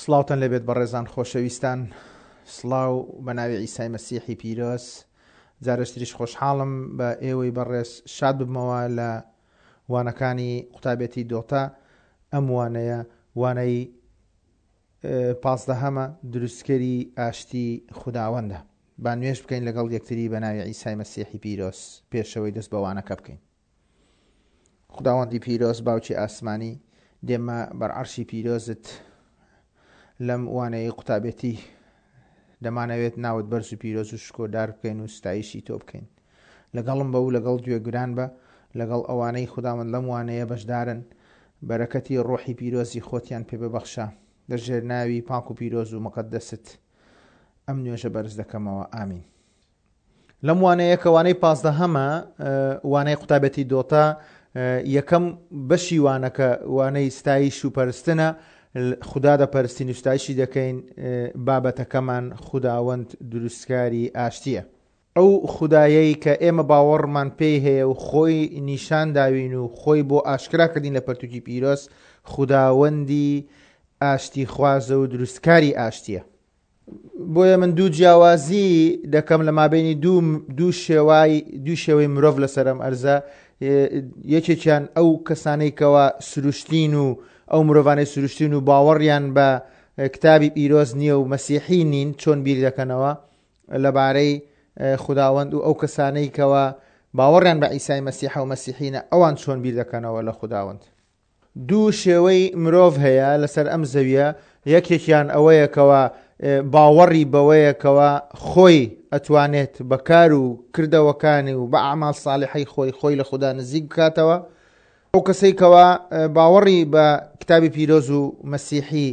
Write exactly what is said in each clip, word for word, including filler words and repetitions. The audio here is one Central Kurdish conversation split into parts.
سڵاوتان لێبێت بەڕێزان خۆشەویستان، سڵاو بە ناوی عیسای مەسیحی پیرۆز. جارێکتریش خۆشحاڵم بە ئێوەی بەڕێز شاد ببمەوە لە وانەکانی قوتابێتی دۆتا. ئەم وانەیە وانەی پازدەهەمە، دروستکەری ئاشتی خوداوەندە. با نوێژ بکەین لەگەڵ یەکتری بە ناوی عیسای مەسیحی پیرۆز پێشەوەی دەست بە وانەکە بکەین. خوداوەندی پیرۆز، باوکی ئاسمانی، دێمە بەر عەرشی پیرۆزت لەم وانەیەی قوتابێتی. دەمانەوێت ناوت بەرز و پیرۆز و شکۆدار بکەین و ستایشی تۆ بکەین. لەگەڵم بە و لەگەڵ گوێگران بە، لەگەڵ ئەوانەی خوداوەند لەم وانەیە بەشدارن، بەرەکەتی ڕۆحی پیرۆزی خۆتیان پێ ببەخشە. لە ژێر ناوی پاک و پیرۆز و مقەدەست ئەم نوێژە بەرز دەکەمەوە، ئامین. لەم وانەیە کە وانەی پازدەهەمە، وانەی قوتابێتی دۆتا، یەکەم بەشی وانەکە وانەی ستایش و پەرستنە. خودا دەپەرستین و ستایشی دەکەین. بابەتەکەمان خوداوەند دروستکاری ئاشتیە. ئەو خودایەی کە ئێمە باوەڕمان پێی هەیە و خۆی نیشان داوین و خۆی بۆ ئاشکرا کردین لە پەرتوکی پیرۆز، خوداوەندی ئاشتی خوازە و دروستکاری ئاشتیە. بۆیە من دوو جیاوازی دەکەم لە مابینی دوو دوو شێوای دوو شێوەی مرۆڤ لەسەرم ئەرزە. یەکێکیان ئەو کەسانەی کەوا سروشتین و ئەو مرۆڤانەی سروشتین و باوەڕیان بە کتابی پیرۆز نییە و مەسیحی نین، چۆن بیر دەکەنەوە لەبارەی خوداوەند، و ئەو کەسانەی کەوا باوەڕیان بە عیسای مەسیحە و مەسیحینە، ئەوان چۆن بیر دەکەنەوە لە خوداوەند. دوو شێوەی مرۆڤ هەیە لەسەر ئەم زەویە. یەکێکیان ئەوەیە کەوا باوەڕی بەوەیە کەوا خۆی ئەتوانێت بە کار و کردەوەکانی و بە ئەعمال ساڵحەی خۆی خۆی لە خودا نزیک بکاتەوە. ئەو کەسەی کەوا باوەڕی بە کتابی پیرۆز و مەسیحی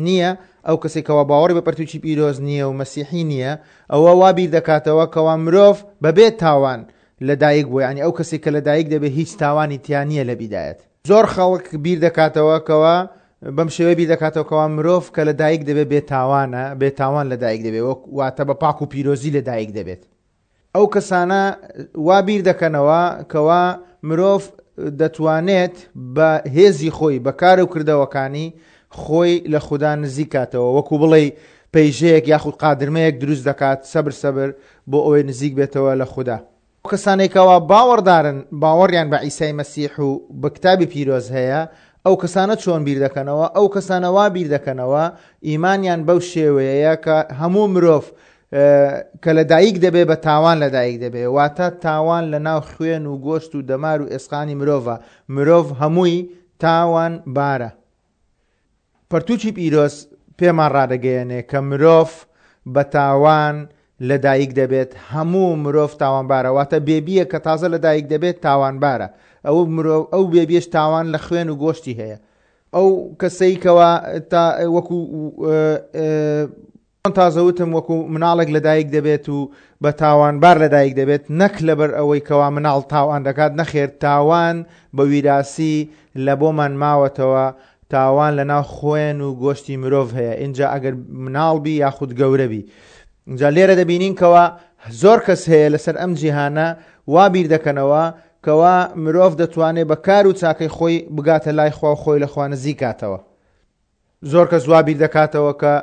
نییە، ئەو کەسێک کەوا باوەڕی بە پەرتوکی پیرۆز نییە و مەسیحی نییە، ئەوە وا بیر دەکاتەوە کەوا مرۆڤ بەبێ تاوان لەدایک بووە. یعنی ئەو کەسێک کە لەدایک دەبێت هیچ تاوانی تیا نییە لە بیدایەت. زۆر خەڵک بیر دەکاتەوە کەوا بەم شێوەیە بیر دەکاتەوە کەوا مرۆڤ کە لەدایک دەبێت بێتاوانە، بێتاوان لەدایک دەبێت، وەک واتە بە پاک و پیرۆزی لەدایک دەبێت. ئەو کەسانە وا بیر دەکەنەوە کەوا مرۆڤ دەتوانێت بە هێزی خۆی، بە کار و کردەوەکانی خۆی لە خودا نزیک کاتەوە، وەکو بڵێ پەیژەیەک یاخود قادرمەیەک دروست دەکات سەبر سەبر بۆ ئەوەی نزیک بێتەوە لە خودا. ئەو کەسانێکەوە باوەڕدارن، باوەڕیان بە عیسای مەسیح و بە کتابی پیرۆز هەیە، ئەو کەسانە چۆن بیر دەکەنەوە؟ ئەو کەسانە وا بیر دەکەنەوە ئیمانیان بەو شێوەیە کە هەموو مرۆڤ کە لەدایک دەبێ بە تاوان لەدایک دەبێ، واتە تاوان لە ناو خوێن و گۆشت و دەمار و ئێسقانی مرۆڤە، مرۆڤ هەمووی تاوان بارە. پەرتوکی پیرۆز پێمان ڕادەگەیەنێ کە مرۆڤ بە تاوان لەدایک دەبێت، هەموو مرۆڤ تاوانبارە، واتە بێبیە کە تازە لەدایک دەبێت تاوانبارە. ئەو مرۆڤ ئەو بێبیەش تاوان لە خوێن و گۆشتی هەیە. ئەو کەسەی کەوا تا وەکو تازە وتم وەکو مناڵێک لەدایک دەبێت و بە تاوانبار لەدایک دەبێت، نەک لەبەر ئەوەی کەوا مناڵ تاوان دەکات، نەخێر، تاوان بە ویراسی لە بۆمان ماوەتەوە، تاوان لە ناو خوێن و گۆشتی مرۆڤ هەیە، اینجا ئەگەر مناڵ بی یاخود گەورە بی. اینجا لێرە دەبینین کەوا زۆر کەس هەیە لەسەر ئەم جیهانە وا بیر دەکەنەوە کەوا مرۆڤ دەتوانێت بە کار و چاکەی خۆی بگاتە لای خوا و خۆی لە خوا نزیک کاتەوە. زۆر کەس وا بیر دەکاتەوە کە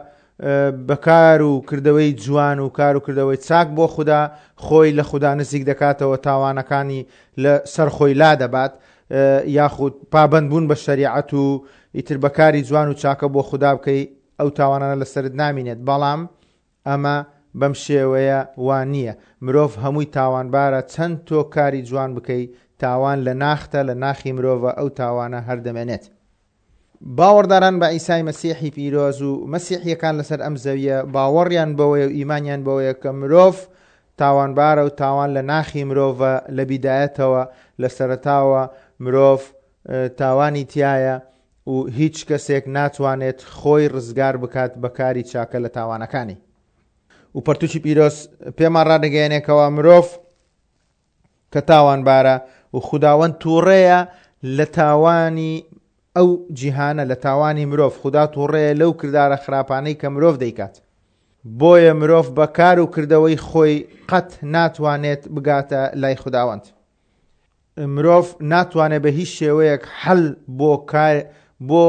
بە کار و کردەوەی جوان و کار و کردەوەی چاک بۆ خودا خۆی لە خودا نزیک دەکاتەوە، تاوانەکانی لە سەر خۆی لا دەبات، یاخود پابەندبوون بە شەریعەت و ئیتر بە کاری جوان و چاکە بۆ خودا بکەی ئەو تاوانانە لەسەرت نامینێت. بەڵام ئەمە بەم شێوەیە وا نییە. مرۆڤ هەمووی تاوانبارە، چەند تۆ کاری جوان بکەی تاوان لە ناختە، لە ناخی مرۆڤە ئەو تاوانە هەر دەمێنێت. باوەڕداران بە عیسای مەسیحی پیرۆز و مەسیحیەکان لەسەر ئەم زەویە باوەڕیان بەوەیە و ئیمانیان بەوەیە کە مرۆڤ تاوانبارە و تاوان لە ناخی مرۆڤە لە بیدایەتەوە، لە سەرەتاوە مرۆڤ تاوانی تایە و هیچ کەسێک ناتوانێت خۆی ڕزگار بکات بە کاری چاکە لە تاوانەکانی. و پەرتوکی پیرۆز پێمان ڕادەگەیەنێکەوە مرۆڤ کە تاوانبارە و خوداوەند تووڕەیە لە تاوانی ئەو جیهانە، لە تاوانی مرۆڤ. خودا تووڕەیە لەو کردارە خراپانەی کە مرۆڤ دەیکات. بۆیە مرۆڤ بە کار و کردەوەی خۆی قەت ناتوانێت بگاتە لای خوداوەند. مرۆڤ ناتوانێت بە هیچ شێوەیەک حەل بۆ کار بۆ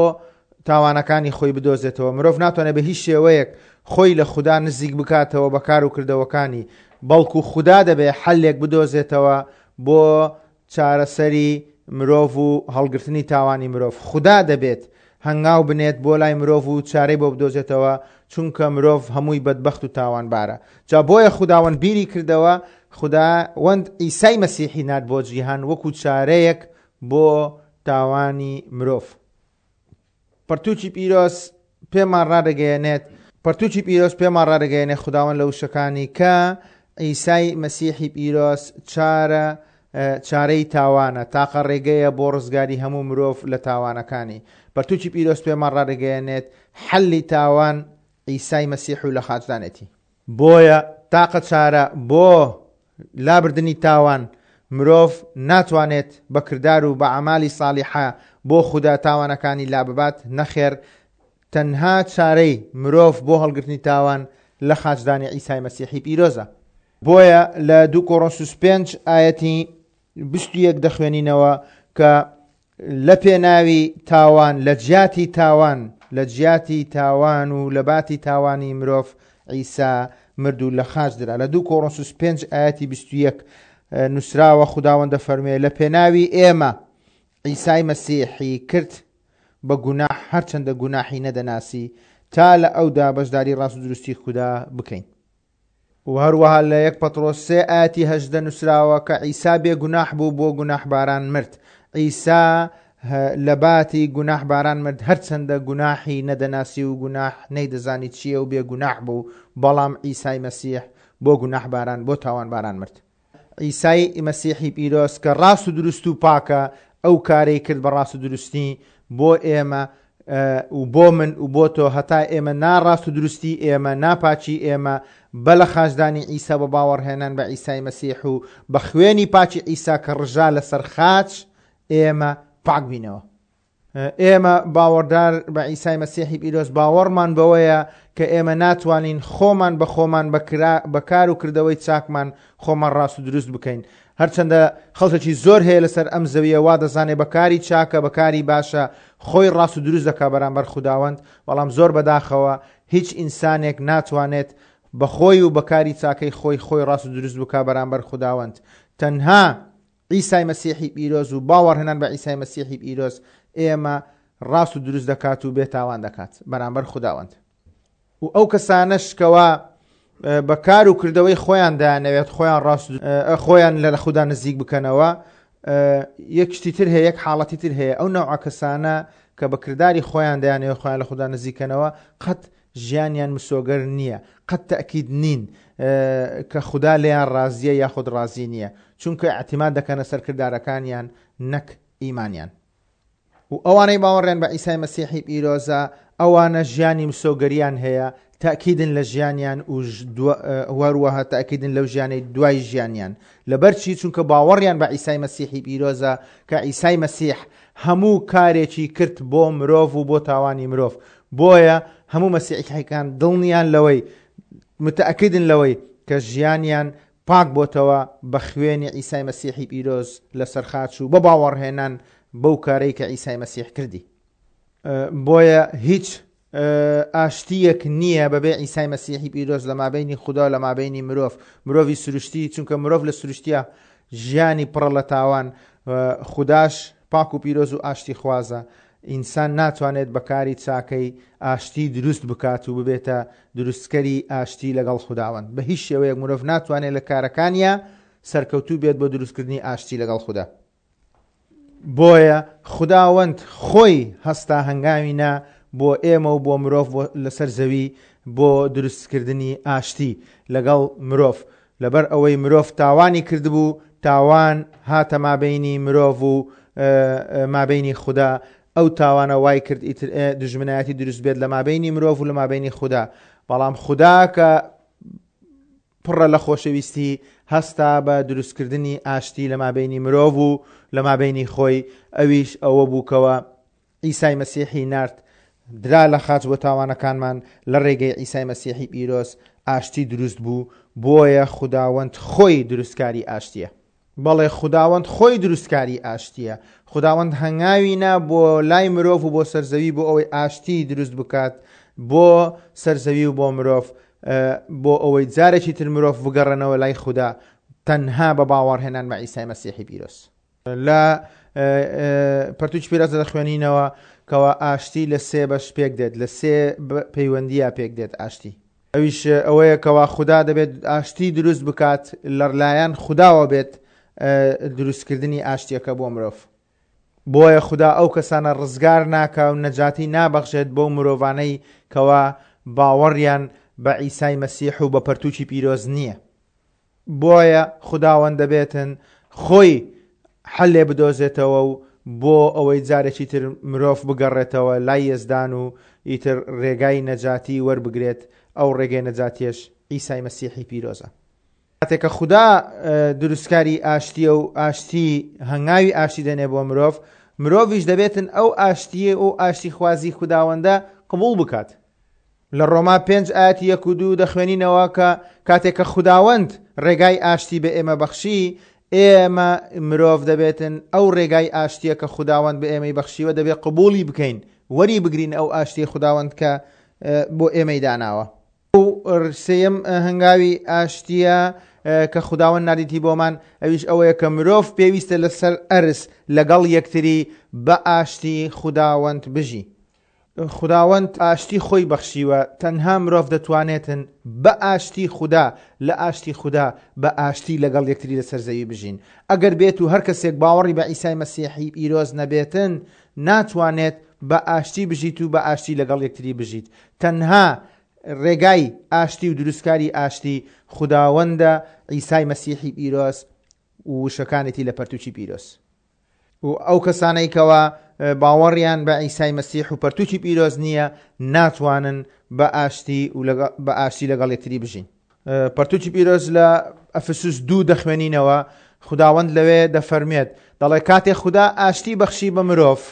تاوانەکانی خۆی بدۆزێتەوە. مرۆڤ ناتوانێت بە هیچ شێوەیەک خۆی لە خودا نزیک بکاتەوە بە کار و کردەوەکانی، بەڵکو خودا دەبێ حەلێک بدۆزێتەوە بۆ چارەسەری مرۆڤ و هەڵگرتنی تاوانی مرۆڤ. خودا دەبێت هەنگاو بنێت بۆ لای مرۆڤ و چارەی بۆ بدۆزێتەوە، چونکە مرۆڤ هەمووی بەدبەخت و تاوانبارە. جا بۆیە خوداوەند بیری کردەوە، خوداوەند عیسای مەسیحی نارد بۆ جیهان وەکو چارەیەک بۆ تاوانی مرۆڤ. پەرتوکی پیرۆز پێمان ڕادەگەیەنێت، پەرتوکی پیرۆز پێمان ڕادەگەیەنێت خوداوەند لە وشەکانی کە عیسای مەسیحی پیرۆز چارە چارەی تاوانە، تاقە ڕێگەیە بۆ ڕزگاری هەموو مرۆڤ لە تاوانەکانی. پەرتوکی پیرۆز پێمان ڕادەگەیەنێت حەلی تاوان عیسای مەسیح و لە خاچدانێتی. بۆیە تاقە چارە بۆ لابردنی تاوان، مرۆڤ ناتوانێت بە کردار و بە ئەعمالی ساڵیحە بۆ خودا تاوانەکانی لاببات. نەخێر، تەنها چارەی مرۆڤ بۆ هەڵگرتنی تاوان لە خاچدانی عیسای مەسیحی پیرۆزە. بۆیە لە دوو کۆرۆنسوس پێنج ئایەتی بیست و یەک دەخوێنینەوە کە لە پێناوی تاوان، لە جیاتی تاوان، لە جیاتی تاوان و لە باتی تاوانی مرۆڤ عیسا مرد و لە خاچ درا. لە دوو کۆرۆنسوس پێنج ئایەتی بیست و یەک نووسراوە خوداوەند دەفەرموێ لە پێناوی ئێمە عیسای مەسیحی کرد بە گوناح، هەرچەندە گوناحی نەدەناسی، تا لە ئەودا بەشداری ڕاست و دروستی خودا بکەین. و هەروەها لە یەک پەترۆس سێ ئایەتی هەژدە نووسراوە کە عیسا بێ گوناح بوو بۆ گوناحباران مرد. عیسا لە باتی گوناحباران مرد، هەرچەندە گوناحی نەدەناسی و گوناح نەیدەزانی چییە و بێ گوناح بوو، بەڵام عیسای مەسیح بۆ گوناحباران، بۆ تاوانباران مرد. عیسای مەسیحی پیرۆز کە ڕاست و دروست و پاکە، ئەو کارەی کرد بە ڕاست و دروستی بۆ ئێمە و بۆ من و بۆ تۆ، هەتا ئێمە ناڕاست و دروستی ئێمە، ناپاچی ئێمە بە لە خاچدانی عیسا بە باوەڕهێنان بە عیسای مەسیح و بە خوێنی پاچی عیسا کە ڕژا لەسەر خاچ، ئێمە پاک بینەوە. ئێمە باوەڕدار بە عیسای مەسیحی پیرۆز باوەڕمان بەوەیە کە ئێمە ناتوانین خۆمان بە خۆمان بە کار و کردەوەی چاکمان خۆمان ڕاست و دروست بکەین. هەرچەندە خەڵکێکی زۆر هەیە لەسەر ئەم زەویە وا دەزانێ بە کاری چاکە، بە کاری باشە خۆی ڕاست و دروست دەکا بەرامبەر خوداوەند، بەڵام زۆر بەداخەوە هیچ ئینسانێک ناتوانێت بە خۆی و بە کاری چاکەی خۆی خۆی ڕاست و دروست بکا بەرامبەر خوداوەند. تەنها عیسای مەسیحی پیرۆز و باوەڕهێنان بە عیسای مەسیحی پیرۆز ئێمە ڕاست و دروست دەکات و بێتاوان دەکات بەرامبەر خوداوەند. و ئەو کەسانەش کەوا بە کار و کردەوەی خۆیان دایانەوێت خۆیان ڕاست خۆیان لە خودا نزیک بکەنەوە، یەک شتی تر هەیە، یەک حاڵەتی تر هەیە. ئەو نەوعە کەسانە کە بە کرداری خۆیان دایانەوێت خۆیان لە خودا نزیکەنەوە، قەت ژیانیان مسۆگەر نییە، قەت تەئکید نین کە خودا لێیان ڕازیە یاخود ڕازی نییە، چونکە اعتماد دەکەنە سەر کردارەکانیان نەک ئیمانیان. و ئەوانەی باوەڕیان بە عیسای مەسیحی پیرۆزە، ئەوانە ژیانی مسۆگەریان هەیە، تەئکیدن لە ژیانیان و هەروەها تەئکیدن لەو ژیانەی دوای ژیانیان. لەبەرچی؟ چونکە باوەڕیان بە عیسای مەسیحی پیرۆزە کە عیسای مەسیح هەموو کارێکی کرد بۆ مرۆڤ و بۆ تاوانی مرۆڤ. بۆیە هەموو مەسیحیەکان دڵنیان لەوەی، متەئکیدن لەوەی کە ژیانیان پاک بۆتەوە بە خوێنی عیسای مەسیحی پیرۆز لەسەر خاچ و بە باوەڕهێنان بەو کارەی کە عیسای مەسیح کردی. بۆیە هیچ ئاشتیەک نییە بەبێ عیسای مەسیحی پیرۆز لە مابینی خودا و لە مابینی مرۆڤ، مرۆڤی سروشتی، چونکە مرۆڤ لە سروشتیە ژیانی پڕە لە تاوان، خوداش پاک و پیرۆز و ئاشتی خوازە. ئینسان ناتوانێت بە کاری چاکەی ئاشتی دروست بکات و ببێتە دروستکەری ئاشتی لەگەڵ خوداوەند. بە هیچ شێوەیەک مرۆڤ ناتوانێت لە کارەکانیە سەرکەوتوو بێت بۆ دروستکردنی ئاشتی لەگەڵ خودا. بۆیە خوداوەند خۆی هەستا هەنگاوی نا بۆ ئێمە و بۆ مرۆڤ لەسەر زەوی بۆ دروستکردنی ئاشتی لەگەڵ مرۆڤ. لەبەر ئەوەی مرۆڤ تاوانی کردبوو، تاوان هاتە مابینی مرۆڤ و مابینی خودا. ئەو تاوانە وای کرد ئیتر دژمنایەتی دروست بێت لە مابینی مرۆڤ و لە مابینی خودا. بەڵام خودا کە پڕە لە خۆشەویستی هەستا بە دروستکردنی ئاشتی لە مابینی مرۆڤ و لە مابینی خۆی، ئەویش ئەوە بووکەوە عیسای مەسیحی نارد، درا لە خاچ بۆ تاوانەکانمان، لە ڕێگەی عیسای مەسیحی پیرۆز ئاشتی دروست بوو. بۆیە خوداوەند خۆی دروستکاری ئاشتیە. بەڵێ خوداوەند خۆی دروستکاری ئاشتیە. خوداوەند هەنگاوی نا بۆ لای مرۆڤ و بۆ سەرزەوی بۆ ئەوەی ئاشتی دروست بکات بۆ سەرزەوی و بۆ مرۆڤ، بۆ ئەوەی جارێکی تر مرۆڤ بگەڕێنەوە لای خودا تەنها بە باوەڕهێنان بە عیسای مەسیحی پیرۆز. لە پەرتوکی پیرۆز دەخوێنینەوە کەوا ئاشتی لە سێ بەش پێک دێت، لە سێ پەیوەندیە پێک دێت ئاشتی. ئەویش ئەوەیە کەوا خودا دەبێت ئاشتی دروست بکات، لەلایەن خوداوە بێت دروستکردنی ئاشتیەکە بۆ مرۆڤ. بۆیە خودا ئەو کەسانە ڕزگار ناکا و نەجاتی نابەخشێت بۆ مرۆڤانەی کەوا باوەڕیان بە عیسای مەسیح و بە پەرتوکی پیرۆز نییە. بۆیە خوداوەند دەبێتن خۆی حەلێ بدۆزێتەوە و بۆ ئەوەی جارێکی تر مرۆڤ بگەڕێتەوە لای یەزدان و ئیتر ڕێگای نەجاتی وەربگرێت. ئەو ڕێگەی نەجاتیش عیسای مەسیحی پیرۆزە. کاتێک کە خودا دروستکاری ئاشتیە و ئاشتی هەنگاوی ئاشتی دەنێ بۆ مرۆڤ، مرۆڤیش دەبێتن ئەو ئاشتیە و ئاشتی خوازی خوداوەندە قبوڵ بکات. لە ڕۆما پێنج ئاەتی یەک و دوو دەخوێنینەوە کە کاتێک کە خوداوەند ڕێگای ئاشتی بە ئێمە بەخشی، ئێمە مرۆڤ دەبێتن ئەو ڕێگای ئاشتیە کە خوداوەند بە ئێمەی بەخشیوە دەبێت قبوڵی بکەین، وەری بگرین ئەو ئاشتی خوداوەند کە بۆ ئێمەی داناوە. سێیەم هەنگاوی ئاشتیە کە خوداوەند ناردیتی بۆمان، ئەویش ئەوەیە کە مرۆڤ پێویستە لەسەر ئەرز لەگەڵ یەکتری بە ئاشتی خوداوەند بژی. خوداوەند ئاشتی خۆی بەخشیوە، تەنها مرۆڤ دەتوانێتن بە ئاشتی خودا، لە ئاشتی خودا بە ئاشتی لەگەڵ یەکتری لەسەر زەوی بژین. ئەگەر بێت و هەر کەسێک باوەڕی بە عیسای مەسیحی پیرۆز نەبێتن، ناتوانێت بە ئاشتی بژیت و بە ئاشتی لەگەڵ یەکتری بژیت. تەنها ڕێگای ئاشتی و دروستکاری ئاشتی خوداوەندە عیسای مەسیحی پیرۆز و وشەکانێتی لە پەرتوکی پیرۆز. و ئەو کەسانەی کەوا باوەڕیان بە عیسای مەسیح و پەرتوکی پیرۆز نییە، ناتوانن بە ئاشتی و بە ئاشتی لەگەڵ یەکتری بژین. پەرتوکی پیرۆز لە ئەفسوس دوو دەخوێنینەوە، خوداوەند لەوێ دەفەرمێت، دەڵێ کاتێ خودا ئاشتی بەخشی بە مرۆڤ،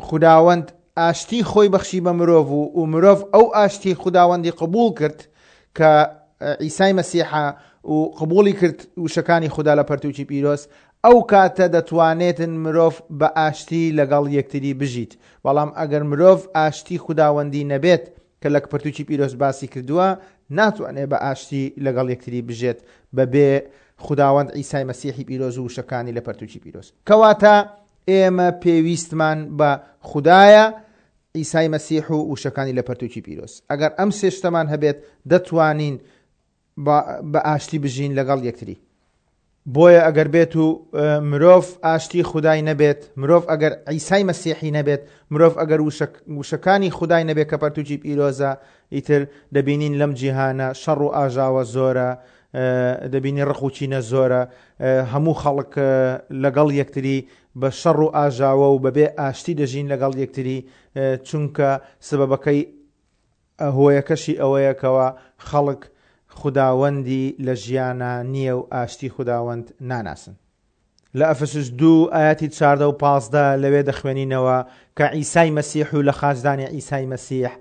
خوداوەند ئاشتی خۆی بەخشی بە مرۆڤ و مرۆڤ ئەو ئاشتی خوداوەندی قبول کرد کە عیسای مەسیحە و قبولی کرد وشەکانی خودا لە پەرتوکی پیرۆز، ئەو کاتە دەتوانێتن مرۆڤ بە ئاشتی لەگەڵ یەکتری بژیت. بەڵام ئەگەر مرۆڤ ئاشتی خوداوەندی نەبێت کە لە پەرتوکی پیرۆز باسی کردووە، ناتوانێت بە ئاشتی لەگەڵ یەکتری بژێت بەبێ خوداوەند عیسای مەسیحی پیرۆز و وشەکانی لە پەرتوکی پیرۆز. کەواتە ئێمە پێویستمان بە خودایە، عیسای مەسیح و وشەکانی لە پەرتوکی پیرۆز. ئەگەر ئەم سێ شتەمان هەبێت دەتوانین بە ئاشتی بژین لەگەڵ یەکتری. بۆیە ئەگەر بێت و مرۆڤ ئاشتی خودای نەبێت، مرۆڤ ئەگەر عیسای مەسیحی نەبێت، مرۆڤ ئەگەر وشەکانی خودای نەبێت کە پەرتوکی پیرۆزە، ئیتر دەبینین لەم جیهانە شەڕ و ئاژاوە زۆرە، دەبینی ڕق و چینە زۆرە، هەموو خەڵک لەگەڵ یەکتری بە شەڕ و ئاژاوە و بەبێ ئاشتی دەژین لەگەڵ یەکتری، چونکە سبەبەکەی هۆیەکەشی ئەوەیەکەوە خەڵک خوداوەندی لە ژیانە نییە و ئاشتی خوداوەند ناناسن. لە ئەفسوس دوو ئاەتی چاردە و پازدە لەوێ دەخوێنینەوە کە عیسای مەسیح و لە خاچدانی عیسای مەسیح،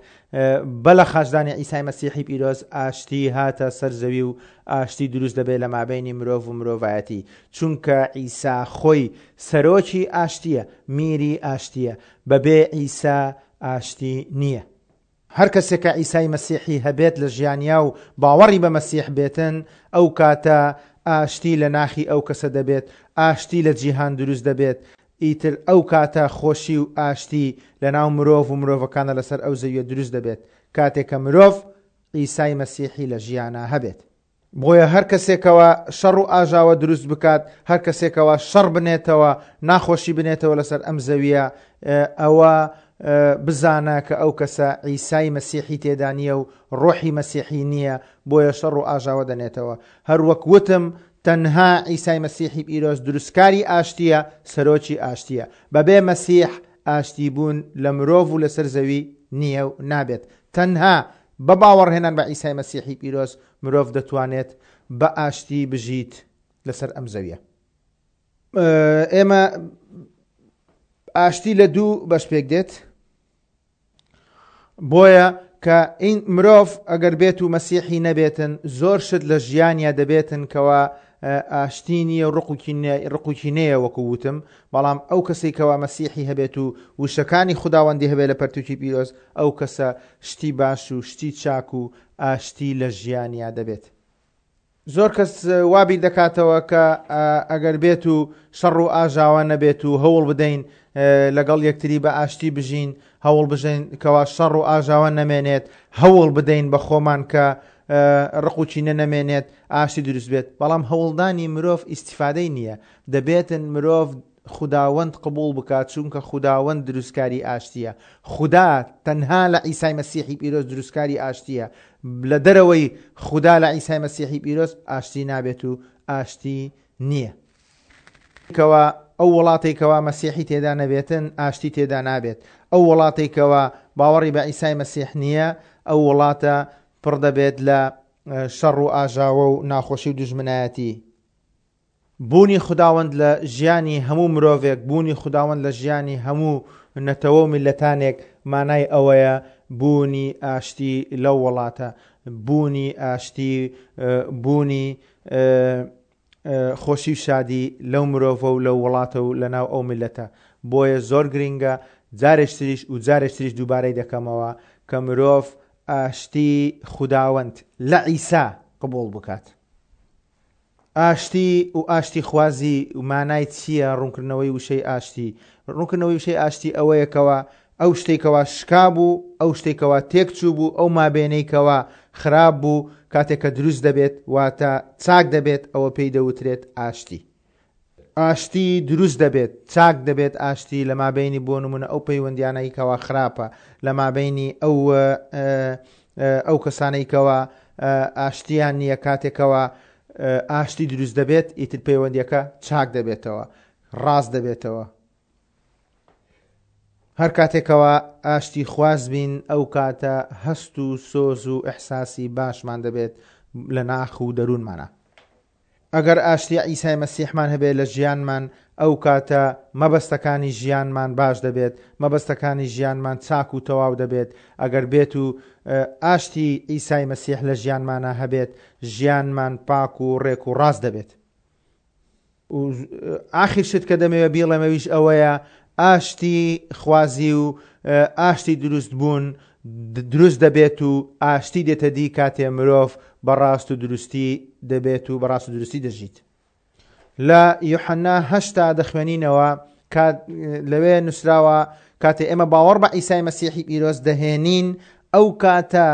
بە لە خاچدانی عیسای مەسیحی پیرۆز ئاشتی هاتە سەر زەوی و ئاشتی دروست دەبێت لە مابەینی مرۆڤ و مرۆڤایەتی، چونکە عیسا خۆی سەرۆکی ئاشتیە، میری ئاشتیە. بەبێ عیسا ئاشتی نییە. هەر کەسێک کە عیسای مەسیحی هەبێت لە ژیانیا و باوەڕی بە مەسیح بێتن، ئەو کاتە ئاشتی لە ناخی ئەو کەسە دەبێت، ئاشتی لە جیهان دروست دەبێت. ئیتر ئەو کاتە خۆشی و ئاشتی لە ناو مرۆڤ و مرۆڤەکانە لەسەر ئەو زەویە دروست دەبێت کاتێک کە مرۆڤ عیسای مەسیحی لە ژیانە هەبێت. بۆیە هەر کەسێکەوە شەڕ و ئاژاوە دروست بکات، هەر کەسێکەوە شەڕ بنێتەوە، ناخۆشی بنێتەوە لەسەر ئەم زەویە، ئەوە بزانە کە ئەو کەسە عیسای مەسیحی تێدا نییە و ڕۆحی مەسیحی نییە، بۆیە شەڕ و ئاژاوە دەنێتەوە. هەر وەک وتم تەنها عیسای مەسیحی پیرۆز دروستکاری ئاشتیە، سەرۆکی ئاشتیە. بەبێ مەسیح ئاشتی بوون لە مرۆڤ و لەسەر زەوی نییە و نابێت. تەنها بە باوەڕهێنان بە عیسای مەسیحی پیرۆز مرۆڤ دەتوانێت بە ئاشتی بژیت لەسەر ئەم زەویە. ئێمە ئاشتی لە دوو بەش پێک دێت. بۆیە کە مرۆڤ ئەگەر بێت و مەسیحی نەبێتن، زۆر شت لە ژیانیا دەبێتن کەوا ئاشتی نییە و ڕقوکی نەیە وەکو وتم، بەڵام ئەو کەسێک کەوا مەسیحی هەبێت و وشەکانی خوداوەندی هەبێت لە پەرتوکی پیرۆز، ئەو کەسە شتی باش و شتی چاک و ئاشتی لە ژیانیا دەبێت. زۆر کەس وا بیر دەکاتەوە کە ئەگەر بێت و شەڕ و ئاژاوە نەبێت و هەوڵ بدەین لەگەڵ یەکتری بە ئاشتی بژین، هەوڵ بژین کەوا شەڕ و ئاژاوە نەمێنێت، هەوڵ بدەین بە خۆمان کە ڕقوچینە نەمێنێت، ئاشتی دروست بێت. بەڵام هەوڵدانی مرۆڤ ئیسیفادەی نییە، دەبێتن مرۆڤ خوداوەند قبول بکات، چونکە خوداوەند دروستکاری ئاشتیە. خودا تەنها لە عیسای مەسیحی پیرۆز دروستکاری ئاشتیە. لە دەرەوەی خودا لە عیسای مەسیحی پیرۆز ئاشتی نابێت و ئاشتی نییە. کەوا ئەو وڵاتێکەوە مەسیحی تێدا نەبێتن ئاشتی تێدا نابێت. ئەو وڵاتێکەوە باوەڕی بە عیسای مەسیح نییە، ئەو وڵاتە پڕ دەبێت لە شەڕ و ئاژاوە و ناخۆشی و دوژمنایەتی. بوونی خوداوەند لە ژیانی هەموو مرۆڤێک، بوونی خوداوەند لە ژیانی هەموو نەتەوە و میلەتانێک مانای ئەوەیە بوونی ئاشتی لەو وڵاتە، بوونی ئاشتی، بوونی خۆشی و شادی لەو مرۆڤە و لەو وڵاتە و لەناو ئەو میلەتە. بۆیە زۆر گرنگە جارێکتریش و جارێکتریش دووبارەی دەکەمەوە کە مرۆڤ ئاشتی خوداوەند لە عیسا قبوڵ بکات. ئاشتی و ئاشتی خوازی مانای چییە؟ ڕوونکردنەوەی وشەی ئاشتی. ڕوونکردنەوەی وشەی ئاشتی ئەوەیەکەوە ئەو شتێکەوە شکا بوو، ئەو شتێکەوە تێکچوو بوو، ئەو مابێنەیکەوە خراپ بوو، کاتێک کە دروست دەبێت واتە چاک دەبێت، ئەوە پێی دەوترێت ئاشتی. ئاشتی دروست دەبێت، چاک دەبێت ئاشتی لە مابینی بۆ نمونە ئەو پەیوەندیانەی کەوا خراپە، لە مابینی ئەو ئەو کەسانەی کەوا ئاشتیان نییە، کاتێکەوە ئاشتی دروست دەبێت ئیتر پەیوەندیەکە چاک دەبێتەوە، ڕاست دەبێتەوە. هەر کاتێکەوە ئاشتی خواز بین ئەو کاتە هەست و سۆز و ئەحساسی باشمان دەبێت لە ناخ و دەروونمانە. ئەگەر ئاشتی عیسای مەسیحمان هەبێت لە ژیانمان، ئەو کاتە مەبەستەکانی ژیانمان باش دەبێت، مەبەستەکانی ژیانمان چاک و تەواو دەبێت. ئەگەر بێت و ئاشتی عیسای مەسیح لە ژیانمانە هەبێت، ژیانمان پاک و ڕێک و ڕاست دەبێت. و ئاخر شت کە دەمەوێت بیڵێمەویش ئەوەیە ئاشتی خوازی و ئاشتی دروست بوون دروست دەبێت و ئاشتی دێتە دی کاتێ مرۆڤ بەڕاست و دروستی دەبێت و بەڕاست و دروستی دەژیت. لە یوحەنا هەشتا دەخوێنینەوە لەوێ نووسراوە کاتێ ئێمە باوەڕ بە عیسای مەسیحی پیرۆز دەهێنین، ئەو کاتە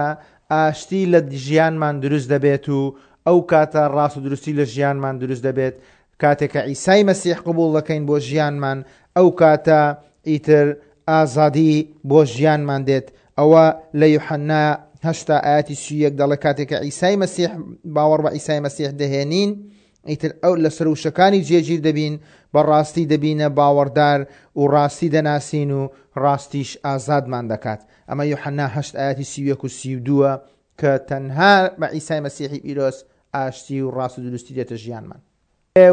ئاشتی لە ژیانمان دروست دەبێت و ئەو کاتە ڕاست و دروستی لە ژیانمان دروست دەبێت. کاتێک کە عیسای مەسیح قبوڵ دەکەین بۆ ژیانمان، ئەو کاتە ئیتر ئازادی بۆ ژیانمان دێت. ئەوە لە یوحەنا هەشتا ئاەتی سی یەک دەڵێ کاتێک کە عیسای مەسیح باوەڕ بە عیسای مەسیح دەهێنین، ئیتر ئەو لەسەر وشەکانی جێگیر دەبین، بەڕاستی دەبینە باوەڕدار و ڕاستی دەناسین و ڕاستیش ئازادمان دەکات. ئەمە یوحەنا هەشت ئاەتی سی یەک و سی و دووە کە تەنها بە عیسای مەسیحی پیرۆز ئاشتی و ڕاست و دروستی دێتە ژیانمان.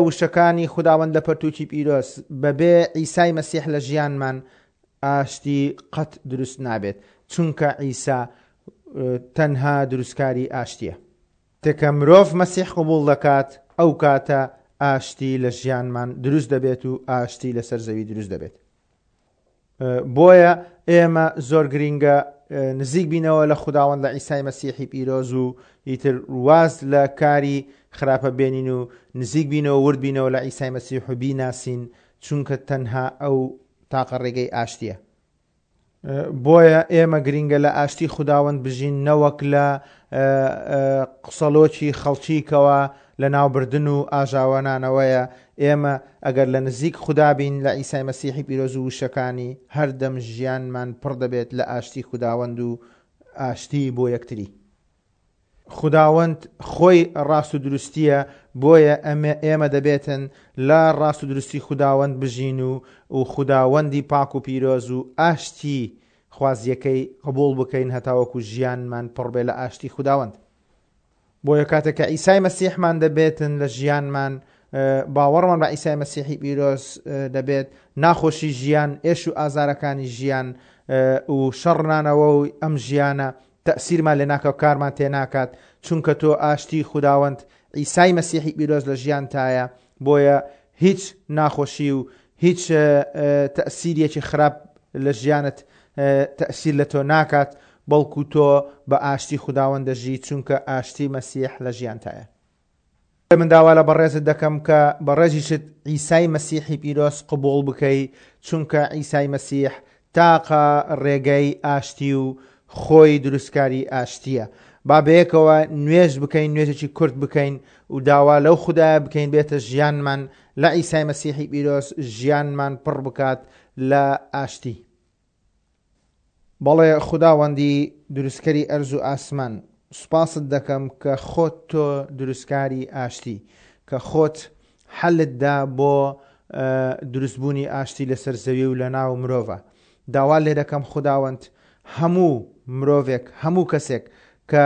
وشەکانی خوداوەند لە پەرتوکی پیرۆز بەبێ عیسای مەسیح لە ژیانمان ئاشتی قەت دروست نابێت، چونکە عیسا تەنها دروستکاری ئاشتیە. تێکە مرۆڤ مەسیح قبوڵ دەکات، ئەو کاتە ئاشتی لە ژیانمان دروست دەبێت و ئاشتی لەسەر زەوی دروست دەبێت. بۆیە ئێمە زۆر گرینگە نزیک بینەوە لە خوداوەند لە عیسای مەسیحی پیرۆز و ئیتر واز لە کاری خراپە بێنین و نزیک بینەوە ورد بینەوە لە عیسای مەسیح و بیناسین، چونکە تەنها ئەو تاقە ڕێگەی ئاشتیە. بۆیە ئێمە گرینگە لە ئاشتی خوداوەند بژین، نەوەک لە قسەلۆکی خەڵکیکەوە لە ناوبردن و ئاژاوەنانەوەیە. ئێمە ئەگەر لە نزیک خودا بین لە عیسای مەسیحی پیرۆز و وشەکانی، هەردەم ژیانمان پڕ دەبێت لە ئاشتی خوداوەند و ئاشتی بۆ یەکتری. خوداوەند خۆی ڕاست و دروستیە، بۆیە ئێمە دەبێتن لە ڕاست و دروستی خوداوەند بژین و و خوداوەندی پاک و پیرۆز و ئاشتی خوازیەکەی قبوڵ بکەین هەتاوەکو ژیانمان پڕ بێ لە ئاشتی خوداوەند. بۆیە کاتێک کە عیسای مەسیحمان دەبێتن لە ژیانمان، باوەڕمان بە عیسای مەسیحی پیرۆز دەبێت، ناخۆشی ژیان، ئێش و ئازارەکانی ژیان و شەڕنانەوە و ئەم ژیانە تەئسیرمان لێ ناکا و کارمان تێ ناکات، چونکە تۆ ئاشتی خوداوەند عیسای مەسیحی پیرۆز لە ژیانتایە، بۆیە هیچ ناخۆشی و هیچ تەئسیرێکی خراپ لە ژیانت تەئسیر لە تۆ ناکات، بەڵکو تۆ بە ئاشتی خوداوەند دەژی، چونکە ئاشتی مەسیح لە ژیانتایە. من داوا لە بەڕێزت دەکەم کە بەڕێزیشت عیسای مەسیحی پیرۆز قبوڵ بکەی، چونکە عیسای مەسیح تاقە ڕێگەی ئاشتی و خۆی دروستکاری ئاشتییە. با بەیەکەوە نوێژ بکەین، نوێژێکی کورت بکەین و داوا لەو خودایە بکەین بێتە ژیانمان لە عیسای مەسیحی پیرۆز ژیانمان پڕ بکات لە ئاشتی. بەڵێ خوداوەندی دروستکەری ئەرز و ئاسمان، سوپاست دەکەم کە خۆت تۆ دروستکاری ئاشتی، کە خۆت حەلت دا بۆ دروستبوونی ئاشتی لەسەر زەوی و لەناو مرۆڤە. داوا لێ دەکەم خوداوەند هەموو مرۆڤێک، هەموو کەسێک کە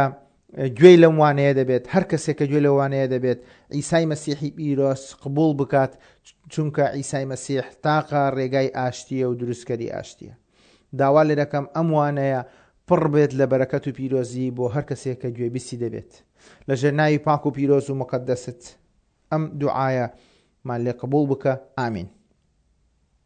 گوێی لەم وانەیە دەبێت، هەر کەسێک کە گوێی لەو وانەیە دەبێت، عیسای مەسیحی پیرۆز قبوڵ بکات، چونکە عیسای مەسیح تاقە ڕێگای ئاشتیە و دروستکەری ئاشتیە. داوا لێ دەکەم ئەم وانەیە پڕ بێت لە بەرەکەت و پیرۆزی بۆ هەر کەسێک کە گوێبیستی دەبێت. لەژێر ناوی پاک و پیرۆز و مقەدەست ئەم دوعایەمان لێ قبوڵ بکە. ئامین.